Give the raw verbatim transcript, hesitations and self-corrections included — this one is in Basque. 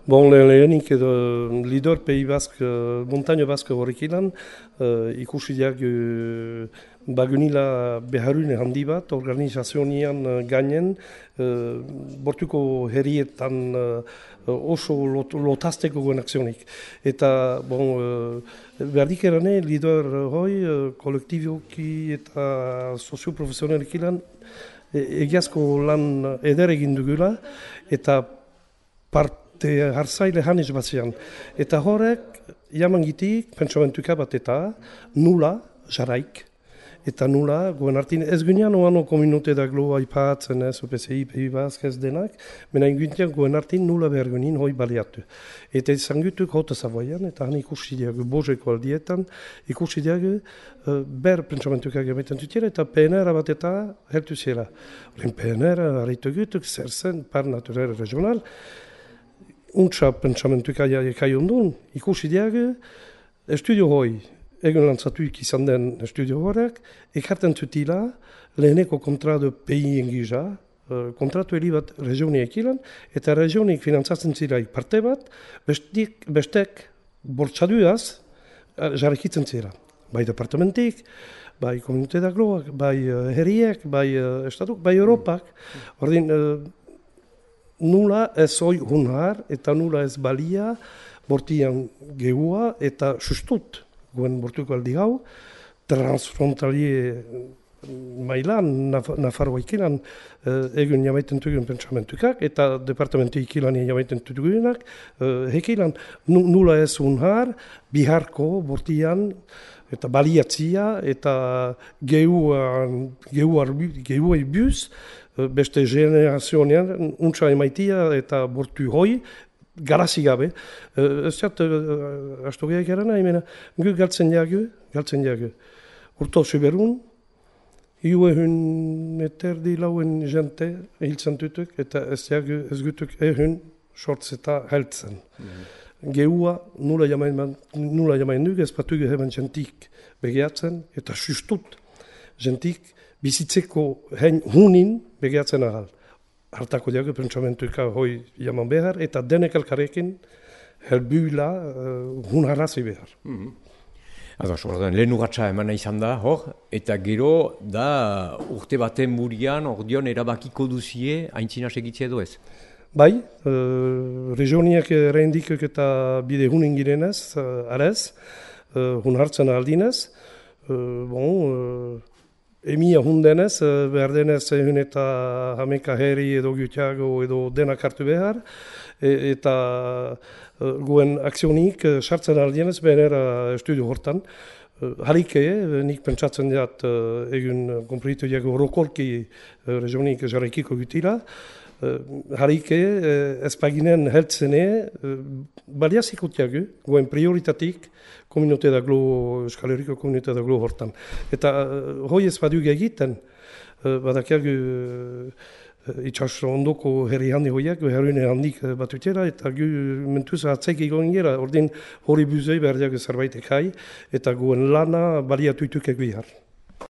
Bon, le- lehenik edo Lidor Pei Bask, montaño Bask horrek ilan, uh, ikusi diak uh, bagunila beharune handi bat, organizazionian uh, gainen, uh, bortuko herrietan uh, oso lot, lotazteko guen akzionik. Eta, bon, uh, berdik erane, Lidor hoi, uh, kolektiboki eta sozioprofesionalik ilan, e- egiazko lan eder egin dugula, eta part te hartzaile hanez batzean. Eta horrek, jamangitik, pentsamentuka bat eta nula, jaraik. Eta nula, goen hartin, ez gunean oano kominute da glo aipatzen, ez, O P C I, P I Bask, ez denak, mena inguntian goen hartin nula behar gunin hoi baliatu. Eta izan gutuk hota Savoian, eta han ikusi diagu bozeko aldietan, ikusi diagu uh, ber pentsamentuka gabetan tutela, eta P N R bat eta hertu zela. Horren P N R, harritu gutuk, zer zen, par naturel regional, untsa pentsamentuka kai ondun, ikusi diagu, estudio hoi, egun lantzatuik izan den estudio horrek, ekarten zutila, leheneko kontratu P I engiza, uh, kontratu heli bat regioniek ilan, eta regionik finantzatzen zilaik parte bat, bestik, bestek bortxaduaz jarrekitzen zira. Bai departamentik, bai komunite dagloak, bai uh, herriek, bai uh, estatuk, bai Europak, ordin, uh, nula ez hoi hunar eta nula ez balia bortian gehua eta sustut guen bortuko aldi gau, transfrontalie mailan, Nafarroa ikilan eh, egun jamaiten tugun pentsamentukak eta departamentu ikilan jamaiten tugunak, eh, hekilan nula ez hunar, biharko bortian eta baliatzia eta gehuan, gehuai buz, beste generazionean, untsa emaitia eta bortu hoi, garazi gabe. Ez zat, astu gehiak erana, imena, gu galtzen jagu, galtzen jagu. Urto zuberun, hiu ehun eterdi lauen jente hiltzen tutuk, eta ez jagu, ez gutuk ehun sortzeta heltzen. Mm-hmm. Gehua nula jamain, nula jamain duk, ez patu geheben jentik begeatzen, eta sustut jentik bizitzeko hein hunin begeatzen ahal. Hartako diago pentsamentuka hoi jaman behar, eta denek elkarrekin helbuila uh, hunarazi behar. Mm-hmm. Ados, lehen urratxa emana izan da, hor, eta gero da urte baten murian, ordion erabakiko duzie, haintzina segitzea edo ez? Bai, uh, regioniak errendikok eta bide hunin girenez, uh, arez, uh, hun hartzen aldinez, uh, bon, uh, Emia hundenez, behar denez ehun eta hameka herri edo gutiago edo denak hartu behar, e, eta e, guen akzionik sartzen aldienez behenera estudio hortan. E, Harike, nik pentsatzen dut egun konpritu diago rokolki regionik jarraikiko gutila, harike ezpaginen heltzene baliaziko tiago, guen prioritatik komunite da glo, Euskal Herriko komunite da glo hortan. Eta hoi ez badug egiten, badakiagu itxas ondoko herri handi hoiak, herrune handik batutera, eta gu mentuz atzek egon gera, ordin hori buzei behar diago zerbait ekai, eta guen lana baliatuituk egihar.